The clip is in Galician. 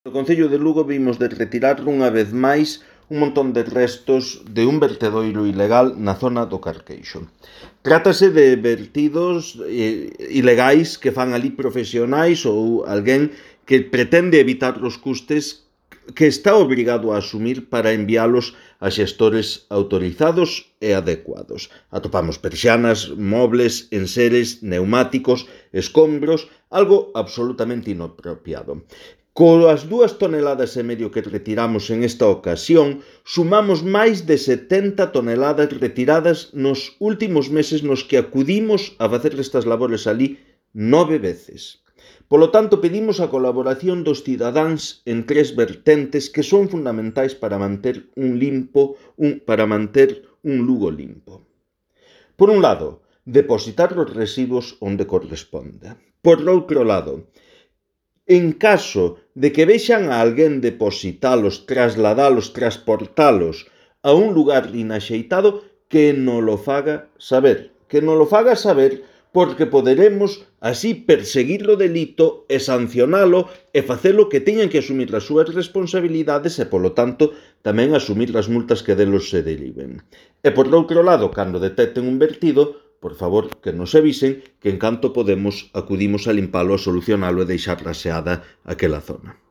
No Concello de Lugo vimos de retirar unha vez máis un montón de restos de un vertedoiro ilegal na zona do Carqueixo. Trátase de vertidos ilegais que fan ali profesionais ou alguén que pretende evitar os custes que está obrigado a asumir para enviálos a xestores autorizados e adecuados. Atopamos persianas, mobles, enseres, neumáticos, escombros, algo absolutamente inapropiado. Coas 2,5 toneladas que retiramos en esta ocasión, sumamos máis de 70 toneladas retiradas nos últimos meses nos que acudimos a facer estas labores ali 9 veces. Polo tanto, pedimos a colaboración dos cidadáns en 3 vertentes que son fundamentais para manter un Lugo limpo. Por un lado, depositar os residuos onde corresponda. Por outro lado, en caso de que vexan a alguén depositalos, trasladalos, transportalos a un lugar inaxeitado, que nolo faga saber. Que nolo faga saber porque poderemos así perseguir o delito e sancionalo e facelo que teñan que asumir as súas responsabilidades e, polo tanto, tamén asumir as multas que delos se deriven. E, por outro lado, cando detecten un vertido, por favor, que nos avisen que en canto podemos acudimos a limpalo, a solucionalo e deixar raseada aquela zona.